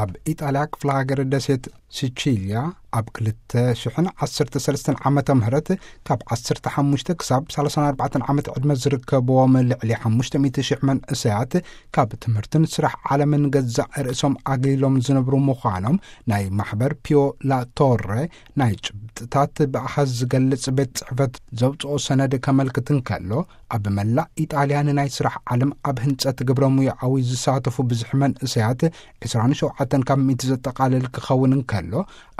ኣብ ኢጣልያ ክፍለ ሃገር ደሴት ሲቺልያ ኣብ ክልተ ሽሕን ዓሰርተ ሰለስተን ዓመተ ምህረት ካብ ዓሰርተ ሓሙሽተ ክሳብ ሰላሳን ኣርባዕተን ዓመት ዕድመ ዝርከብዎም ልዕሊ ሓሙሽተ ሚእቲ ሽሕ መንእሰያት ካብ ትምህርትን ስራሕ ዓለምን ገዛእ ርእሶም ኣግሊሎም ዝነብሩ ምዃኖም ናይ ማሕበር ፒዮ ላ ቶረ ናይ ጭብጥታት ብኣሃዝ ዝገልጽ ቤት ጽሕፈት ዘውጽኦ ሰነድ ከመልክት እንከሎ፣ ኣብ መላእ ኢጣልያ ንናይ ስራሕ ዓለም ኣብ ህንጸት ግብረ ሙያኣዊ ዝሳተፉ ብዝሒ መንእሰያት ዕስራን ሸውዓተን ካብ ሚእቲ ዘጠቓልል ክኸውን እንከሎ፣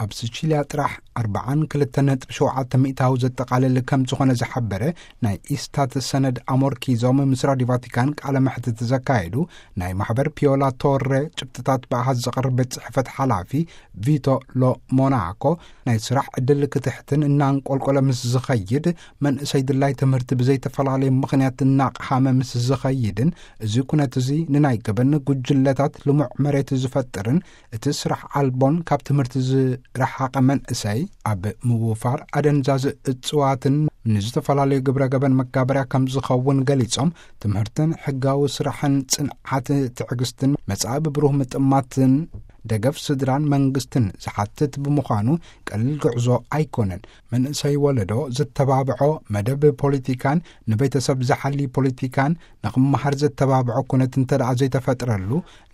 ኣብ ሲቺልያ ጥራሕ ኣርባዓን ክልተን ነጥቢ ሸውዓተ ሚእታዊ ዘጠቓልል ከም ዝኾነ ዝሓበረ ናይ ኢስታት ሰነድ ኣሞርኪዞም ምስ ራዲዮ ቫቲካን ቃለ መሕትት ዘካየዱ ናይ ማሕበር ፒዮላ ቶረ ጭብጥታት ብኣሃዝ ዘቕርብ ቤት ጽሕፈት ሓላፊ ቪቶ ሎ ሞናኮ፣ ናይ ስራሕ ዕድል ክትሕትን እናንቆልቆለ ምስ ዝኸይድ፣ መንእሰይ ድላይ ትምህርቲ ብዘይተፈላለየ ምኽንያት እናቕሃመ ምስ ዝኸይድን፣ እዚ ኩነት እዚ ንናይ ገበን ጉጅለታት ልሙዕ መሬት ዝፈጥርን፣ እቲ ስራሕ ኣልቦን ካብ ትምህርቲ ዝረሓቐ መንእሰይ ኣብ ምውፋር ኣደንዛዝ እጽዋትን ንዝተፈላለዩ ግብረ ገበን መጋበርያ ከም ዝኸውን ገሊጾም፣ ትምህርትን ሕጋዊ ስራሕን ጽንዓት ትዕግስትን መጻኢ ብብሩህ ምጥማትን ደገፍ ስድራን መንግስትን ዝሓትት ብምዃኑ ቀሊል ጉዕዞ ኣይኮነን። መንእሰይ ወለዶ ዝተባብዖ መደብ ፖለቲካን ንቤተሰብ ዝሓሊ ፖለቲካን ንኽመሃር ዘተባብዖ ኩነት እንተ ደኣ ዘይተፈጥረሉ፣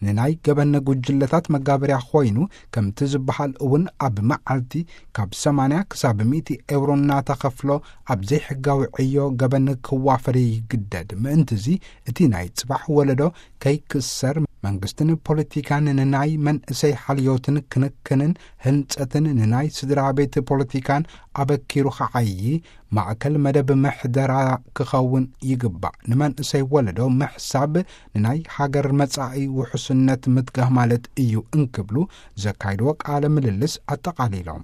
ንናይ ገበን ጉጅለታት መጋበርያ ኮይኑ፣ ከምቲ ዝበሃል እውን ኣብ መዓልቲ ካብ ሰማንያ ክሳብ ሚእቲ ኤውሮ እናተኸፍሎ ኣብ ዘይሕጋዊ ዕዮ ገበን ክዋፈር ይግደድ። ምእንትዚ እቲ ናይ ጽባሕ ወለዶ ከይክሰር መንግስትን ፖለቲካን ንናይ መንእሰይ ሓልዮትን ክንክንን ህንጸትን ንናይ ስድራ ቤት ፖለቲካን ኣበኪሩ ክዓዪ ማእከል መደብ ምሕደራ ክኸውን ይግባእ። ንመንእሰይ ወለዶ ምሕሳብ ንናይ ሃገር መጻኢ ውሕስነት ምትጋህ ማለት እዩ እንክብሉ ዘካይድዎ ቃለ ምልልስ ኣጠቓሊሎም።